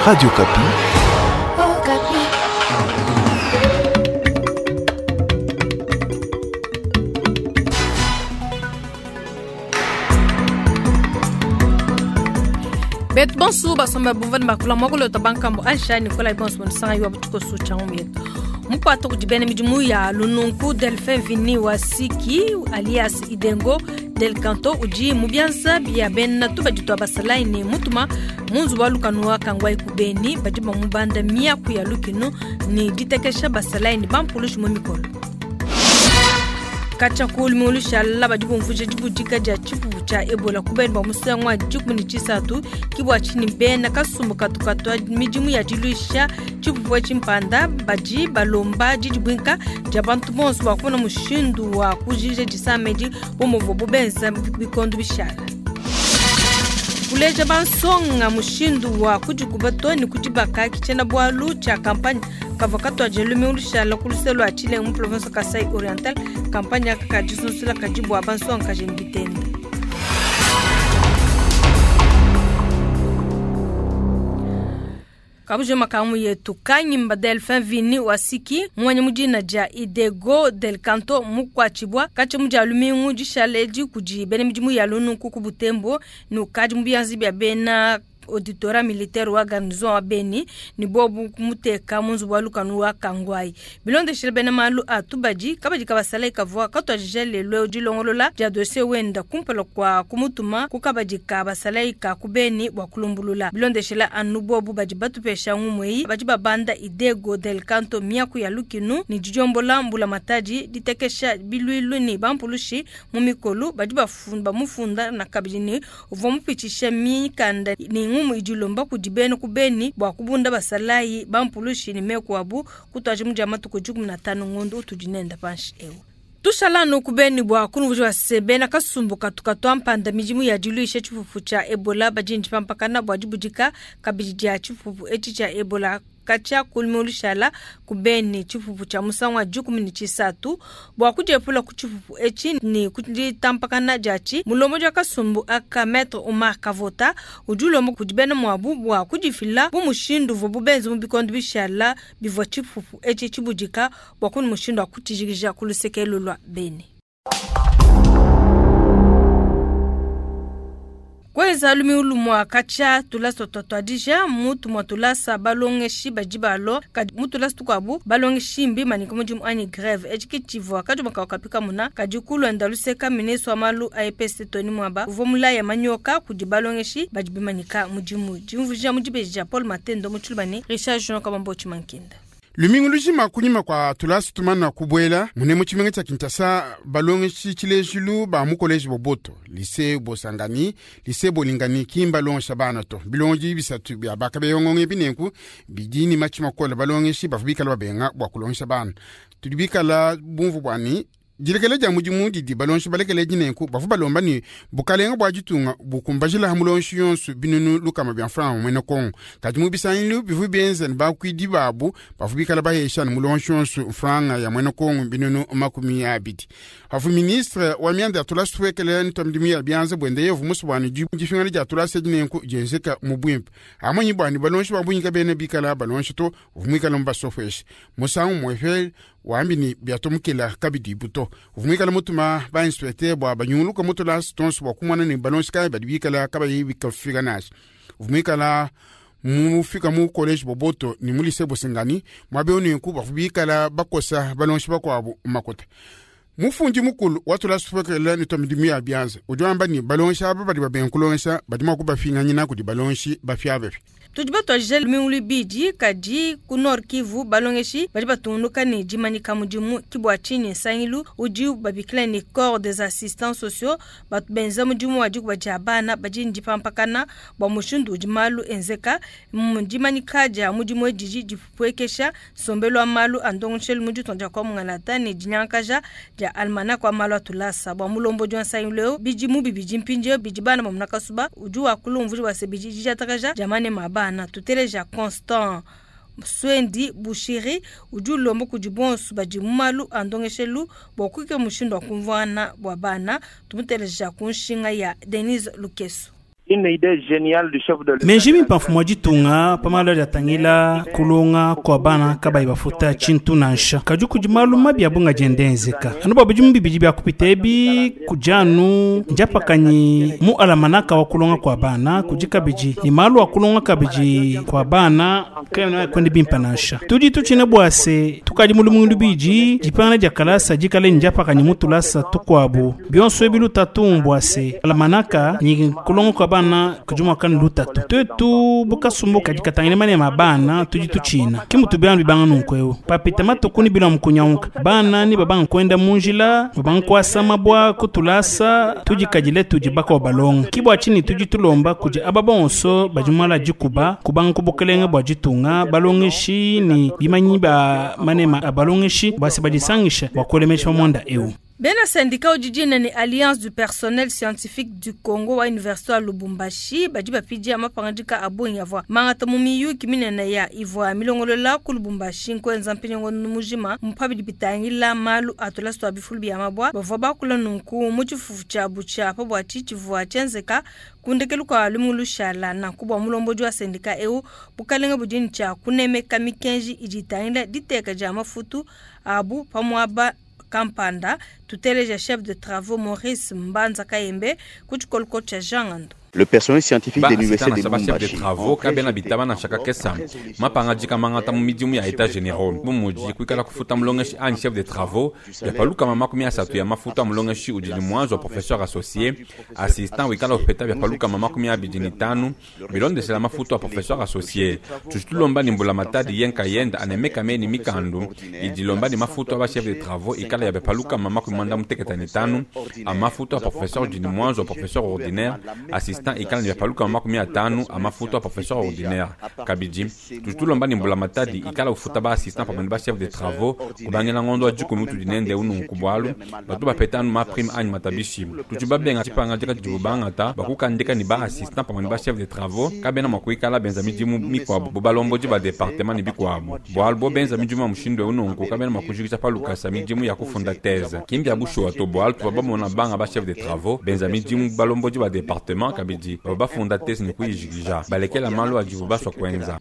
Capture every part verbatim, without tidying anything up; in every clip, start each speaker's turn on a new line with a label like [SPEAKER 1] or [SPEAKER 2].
[SPEAKER 1] Radio Okapi.
[SPEAKER 2] Okapi.
[SPEAKER 3] Betu bonsu basomba buvani bakula mwakulota bankambo Aisha Nikolai bonsu bonisanga yuwa butuko su changu yetu. Mukwata kudibene midimu ya lununku Delphin Vini wa Siki alias Idengo Del Canto udi mubianza bia bena tuba ditwa basalai ne mutuma munzu wa lukanu wa kangwai kubeni badi bamubanda miaku ya lukinu ni ditekesha basalai ni bampulushi mu mikolo. Katshia ku lumingu lushala badi bumvuija dibudika dia tshipupu tshia Ebola ku beni bua musangu wa dikumi ne tshisatu ke bua tshinyi bena kasumbu katu katua midimu ya diluisha tshipupu etshi mpanda badi balomba didibuinka dia bantu bonso bua kumona mushindu wa kujikija disama edi bu muvuabu benza bikondo bishala. Kuleja bansonga mushindu wa kudikuba to ne kudibaka ke tshiena-bualu tshia kampanye kavua katuadija lumingu lushala ku luse lua Tshilengu mu province Kasai Oriental. Kampanye aka ka disunsula kadi bua bansonga kaji ne bitende. Kabuje makamu yetu kanyimba Delphin Vini wa Siki mwanyi mudina dia Idego Del Canto mukwachibwa kache mudia lumingu dishala edi kudi bena midimu ya lununku ku Butembo ne ukadi mu bianza bia bena auditorat militaire wa garnison wa Beni ni bobu kumuteka mu nzubu wa lukanu wa Kangwai. Bilondeshile bena malu a tubadi kabadi kabasala ikavua katuadija lelo dilongolola dia dossier wenda kumpala kwa kumutuma ku kabadi kabasala ika ku Beni bua kulumbulula. Bilondeshile anu bobu badi batupesha ngumweyi badi babanda Idego Del Canto miaku ya lukinu ni didiombola mbula matadi ditekesha bilwilu ni bampulushi mu mikolu badi bafunda bamufunda na kabidi ni uvua mupitisha mikanda ni ngumu idilomba kudi bena ku Beni bua kubunda basalayi bampulushi ni meku abu kutwaje mu dia matuku dikumi na tanu ngondo utudi nenda panshi ewu. Tushala no ku Beni bua kunuvujwa se bena kasumbu katu katua mpanda midimu ya diluisha tshipupu tshia Ebola badi ndipampakana bua dibudika kabidi dia tshipupu etshi tshia Ebola katshia lumingu lushala ku Beni tshipupu tshia musangu wa dikumi ne tshisatu bua kudiepula ku tshipupu etshi ne kuditampakana diatshi. Mulombodi wa kasumbu aka Maître Omar Kavota udi ulomba kudi bena muabu bua kudifila bu mushindu uvuabu benze mu bikondo bishala bivua tshipupu etshi tshibudika bua kunu mushindu wa kutshijikija ku luseke lua Beni. Kweza lumingu lumwa katshia tulasa twatuadija mutu mwa tulasa balongeshi badi balo kadi mu tulasa tukuabu balongeshi mbi manika mudimu anyi greve etshi ke tshivua kadi makawu kapika muna kadi kulonda luseka ministre wa malu a E P S Tony Mwaba uvua mulaya manyoka kudi balongeshi badi bimanyika mudimu. Dimvuija mu dibeji dia Paul Matendo mu Tshilubane, Richard Jean Kabambo Tshimankinda.
[SPEAKER 4] Lumingu lujima kunyima kwa tulasa tumana kubwela mune mu tshimenga tshia Kinshasa balongeshi tshilejilu ba mu college Boboto, lycée Bosangani, lycée Bolingani kimba longesha bana to. Bilongi bisatu bia bakabeyongonge binenku bidi ni matshi makola balongeshi bavua bikala babenga bua kulongesha bana. Tudi bikala bumvu bwani dilekele dia mudimu didi balongeshi balekele dinenku bavua balomba ni bukalenga bua ditunga bukumbajila mulongeshi yonso binunu lukama bia mfranga mwene Kongo. Kadi mu bisangilu bivua bienza ne bakuidi babu bavua bikala bahesha ne mulongeshi yonso mfranga ya mwene Kongo binunu makumi abidi. Havu ministre wa mianda ya tulasa tuwekele ntua midimu ya bianza bwende yevu musu bwani difingana dia tulasa dinenku dienzeka mu bwimpe. Amanyi bwani balongeshi ba bunyika bene bikala balongeshi to uvua muikale mu basofweshe. Musangu muefe wambi ni biatomukela kabidi buto. Uvua muikale mutuma ba inspecteur bua banyunguluka mu tulasa tonso bua kumona ne balongeshi kayi badi bikala kabayi bikafika nansha. Uvua muikala mufika mu college Boboto ni mu lycée Bosangani mwabe onenku bavua bikala bakosa balongeshi bakuabu makuta. Mufundi mukulu wa tulasa tuwekele ntua midimu ya bianza udi wamba ni balongeshi aba badi babenga kulongesha badi mua kubafinganyina kudi balongeshi bafiabefi.
[SPEAKER 3] Tudi batuadija lumingu luibidi kadi ku Nord Kivu balongeshi badi batungunuka ne dimanyika mudimu ke bua tshinyi nsangilu udi babikila ne corps des assistants sociaux batu benza mudimu wa dikuba dia bana badi ne dipampakana bua mushindu udi malu enzeka. Mu dimanyika dia mudimu edi dipuekesha nsombelu wa malu a ndongoshelu mu ditunga dia kwa Mungalata ne dinyankaja dia almanach wa malu a tulasa. Bua mulombodi wa nsangilu eu bidimu bibidi mpindieu bidi bana ba munakasuba udi wakula umvuija bua se bidi didiatakaja dia manema a bana. Tuteleja Constant Swendi Bushiri udi ulomba kudi bonso badi mu malu a ndongeshelu bua kuikala mushindu wa kumvuana bua bana. Tumuteleja ku nshinga ya Denise Lukeso.
[SPEAKER 1] Une idée géniale du chef de l'État.
[SPEAKER 5] Menji mimpa mfumu wa ditunga pamalo adi kulonga kwa bana kabayi bafuta tshintu nansha kadi kudi malu mabi abunga diendenzeka anu bua bidimu bibidi bia kupita ebi kudi anu ndiapakanyi mu alamanaka wa kulonga kwa bana kudi kabidi ni malu a kulonga kabidi kwa bana kena kwende bimpa nansha tudi tutshina bua se tukadi mulumungu lubidi dipangana dia kalasa dikale ndiapakanyi mu tulasa tukuabu bionso ebi lutatu mbua se alamanaka ni kulonga kwa bana kudi muakani lutatu twetu bukasumbu kadi katangile manema bana tudi tutshina kimutu bianu bibanga nunku eu papita matuku ni bila mukunyauka bana ni babanga kwenda munjila babanga kuasama bua kutulasa tudi kadile tudi baka balonga kibua tshini tudi tulomba kudi aba bonso badi mala dikuba kubanga kubukelenge bua ditunga balongeshi ni bimanyi ba manema a balongeshi basi badisangisha bua kuelemesha mwanda eu.
[SPEAKER 3] Bena syndicat ujijine ni Alliance du personnel scientifique du Congo wa Université wa Lubumbashi badi bapidia mapangadika abongi avua mangata mu miyuki minene ya ivua milongolola ku Lubumbashi nkwenza mpinyango mujima mupabidi bitangila malu atulasa twa bifulu bia mabwa bavua bakula nunku mu tshifufu tshiabu tshia pa bua tshitshivua tshienzeka kundekelu kua lumingu lushala nanku bua mulombodi wa syndicat eu bukalenga budini tshia kunemeka mikenji idi itangila diteka dia mafutu abu pamuaba kampanda tuteleja chef de travaux Maurice Mbanza Kayembe ku tshikoloko tshia Jean Ngando.
[SPEAKER 6] Le personnel scientifique
[SPEAKER 7] ba
[SPEAKER 6] de l'université
[SPEAKER 7] assistant
[SPEAKER 6] de
[SPEAKER 7] na chef de
[SPEAKER 6] Lubumbashi
[SPEAKER 7] travaux kabena bitaba na shaka kesa mapangadika mangata mu midimu ya état généraux bumuji kuikala kufuta mulongeshi anyi chef de travaux byapaluka makumi asatu ya mafuta mulongeshi udi ni mwanzo wa professeur associé assistant wikala upeta byapaluka makumi abidi ni tanu bilondesela mafuta wa professeur associé tushitulomba ni mbula matadi yenka yenda anemeka meni mikandu idilomba ni mafuta wa chef de travaux ikala ya byapaluka makumi mwanda muteketa ni tanu a mafuta wa professeur udi ni mwanzo wa professeur ordinaire assistant ikala ni byapaluka makumi atanu a mafuta wa professeur ordinaire kabidi tutulomba ni mbula matadi ikala ufuta ba assistant pamwe ba chef de travaux kubangela ngondo wa dikumi tudi nende ununku bwalu batu bapeta anu ma prime anyi matabishi tutu babenga tshipanga dika dibu bangata bakukandika ni ba assistant pamwe ba chef de travaux kabena mwa kuikala benza midimu mikwabu bo balombodi ba département ni bikwabu bwalu bo benza midimu ya mushindu ununku kabena mwa kujikisha palukasa midimu ya kufunda thèse kimbi ya bushuwa to bwalu tuva bamona banga ba chef de travaux benza midimu balombodi ba département kabidi baba bafunda thèse ni kuyijikija balekela malu adibu baswa kwenza.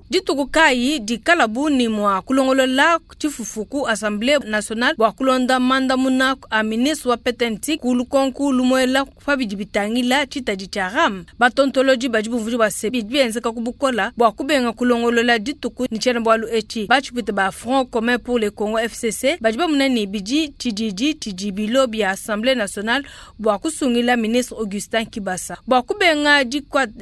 [SPEAKER 3] Dituku kayi dikala buni mwa kulongolola tshifufu assemblée nationale bua kulonda mandamuna a ministre wa P T N T ku lukonku lumuela pabidi bitangila tshitadi tshia RAM batontoloji badi bumvudi bua se bidi bienzeka ku bukola bua kubenga kulongolola dituku ni tshiena bualu etshi batshipite ba Front commun pour le Congo F C C badi bamuna ni bidi tshididi tshidi bilo bia assemblée nationale bua kusungila ministre Augustin Kibasa bua kubenga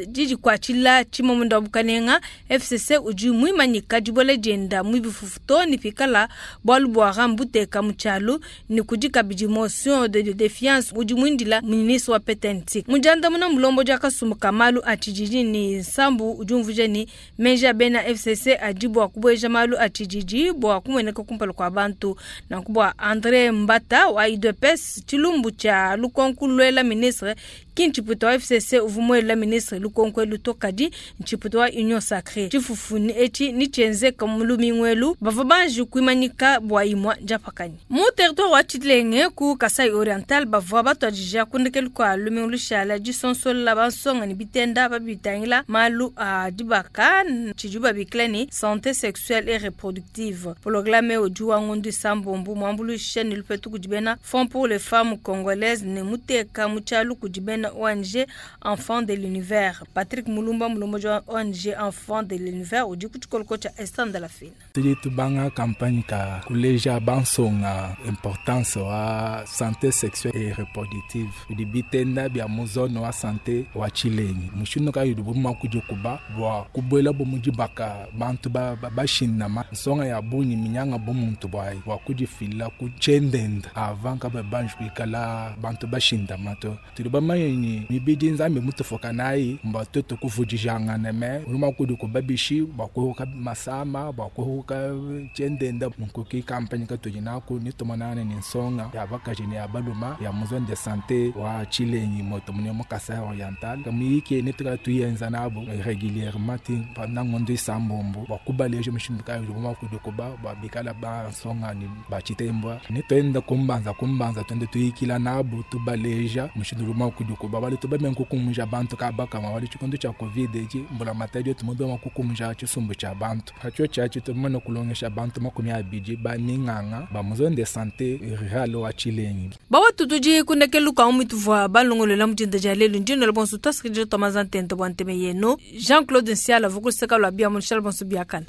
[SPEAKER 3] didikuatshila tshimamunda wa bukalenga. F C C udi muimanyika dibola dienda mu bifufu to ni pikala bualu bua RAM buteka mu tshialu ni kudi kabidi motion de défiance udi muindila ministre wa P T N T mudiandamuna mulombo dia kasumbu ka malu a tshididi ni nsambu udi umvuja ni menji a bena F C C adi bua kubueja malu a tshididi bua kumueneka kumpala kua bantu. Nanku bua André Mbata wa U D P S tshilumbu tshia lukonku luela ministre ki ntshiputa wa F C C uvua muela ministre lukonku elu to kadi ntshiputa wa Union sacrée. Tshifufu etshi ni tshienzeka mu lumingu elu bavua banji kuimanyika bua imua ndiapakanyi mu territoire wa Tshilenge ku Kasai Oriental bavua batuadija kundekelu kua lumingu lushala disonsola bansonga ni bitenda babitangila malu a dibaka tshidi babikila ni santé sexuelle et reproductive. Programme udi wa ngondu isambombo muambuluisha ni lupetu kudi bena Fonds pour les femmes congolaises ne muteka mu tshialu kudi bena O N G Enfants de l'Univers. Patrick Mulumba mulombodi wa O N G Enfants de l'Univers udi ku tshikoloko tshia Esther Ndalafina.
[SPEAKER 8] Tudi tubanga campagne ka kuleja bansonga importance wa santé sexuelle et reproductive bidi bitenda bia mu zone wa santé wa Tshilengi mushindu kayi udi buma kudi kuba bua kubuela bu mudibaka bantu bashindama nsonga ya bungi minyanga bu muntu bwayi bua kudifila ku tshiendenda avant kaba banji kuikala bantu bashindama to tudi bamanye. Bumanye mibidi Nzambi mutufuka nayi mba tuetu kuvudijangana me udi kudi kubabishi bua kuhuka masama bua kuhuka tshiendenda. Nunku ki kampanye katudi naku nitumonana ne nsonga ya bakaji ne ya baluma ya mu zone de santé wa Tshilengi moto mune mu Kasai Oriental. Muyiki ne tuyenza nabo régulièrement ti pendant ngondo isambombo bua kubaleja mushindu kayi udi mua kudikuba bua bikala bansonga ni bachitembwa. Nituenda kumbanza kumbanza tuende tuyikila nabo tubaleja mushindu udi mua kudikuba bali tubame nkukumja bantu kabakama wali tshikondo tshia covid eci mbula matadi tumube mua kukumja tshisumbu tshia bantu hatshio tshiatshi tumane kulongesha bantu makumi abidi ba minganga ba mu zone de santé rurale wa Tshilengi.
[SPEAKER 3] Bawa tutuji kundekelu ka umituvua balongolela mujinda dia lelu ndino bonso tasikije tomaza ntente bwa nteme yeno Jean-Claude Nsiala vukuseka lwa bia munshala bonso biakana.